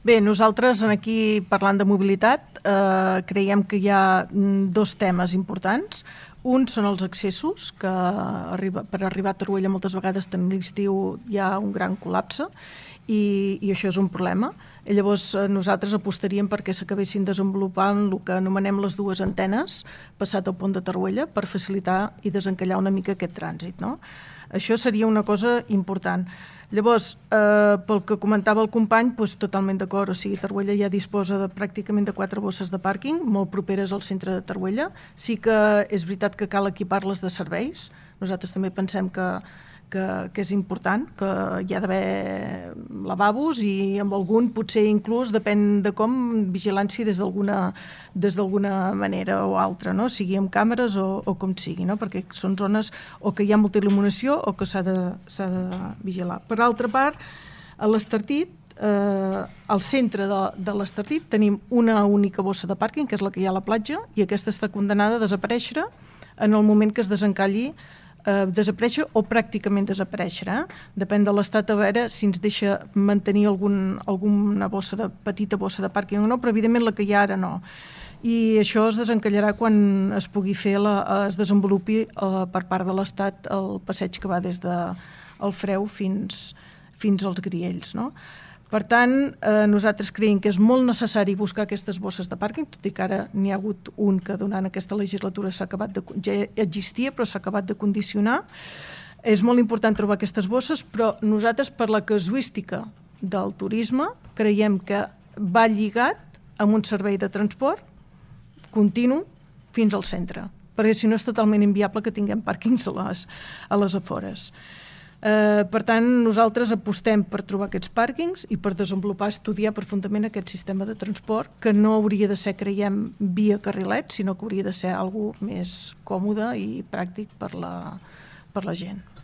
Bé, nosaltres aquí parlant de mobilitat creiem que hi ha dos temes importants. Un són els accessos, que per arribar a Torroella moltes vegades en l'estiu hi ha un gran col·lapse i això és un problema. I llavors nosaltres apostaríem perquè s'acabessin desenvolupant el que anomenem les dues antenes passat al pont de Torroella per facilitar i desencallar una mica aquest trànsit, no? Això seria una cosa important. Llavors, pel que comentava el company, totalment d'acord, o sigui, Torroella ja disposa pràcticament de 4 bosses de pàrquing, molt properes al centre de Torroella. Sí que és veritat que cal equipar-les de serveis. Nosaltres també pensem que és important, que hi ha d'haver lavabos i amb algun, potser inclús, depèn de com, vigilància des d'alguna manera o altra, no? Sigui amb càmeres o com sigui, no? Perquè són zones o que hi ha molta il·luminació o que s'ha de vigilar. Per altra part, a l'Estartit, al centre de l'Estartit tenim una única bossa de pàrquing, que és la que hi ha a la platja, i aquesta està condenada a desaparèixer en el moment que es desencalli, desaparèixer o pràcticament desaparèixer. Depèn de l'estat a veure si ens deixa mantenir alguna petita bossa de pàrquing o no, però evidentment la que hi ha ara no. I això es desencallarà quan es pugui fer, es desenvolupi per part de l'Estat el passeig que va des del Freu fins als Griells, no? Per tant, nosaltres creiem que és molt necessari buscar aquestes bosses de pàrquing, tot i que ara n'hi ha hagut un que durant aquesta legislatura ja existia, però s'ha acabat de condicionar. És molt important trobar aquestes bosses, però nosaltres, per la casuística del turisme, creiem que va lligat amb un servei de transport continu fins al centre, perquè si no és totalment inviable que tinguem pàrquings a les afores. Per tant, nosaltres apostem per trobar aquests pàrquings i per desenvolupar, estudiar profundament aquest sistema de transport, que no hauria de ser, creiem, via carrilet, sinó que hauria de ser alguna cosa més còmode i pràctic per la gent.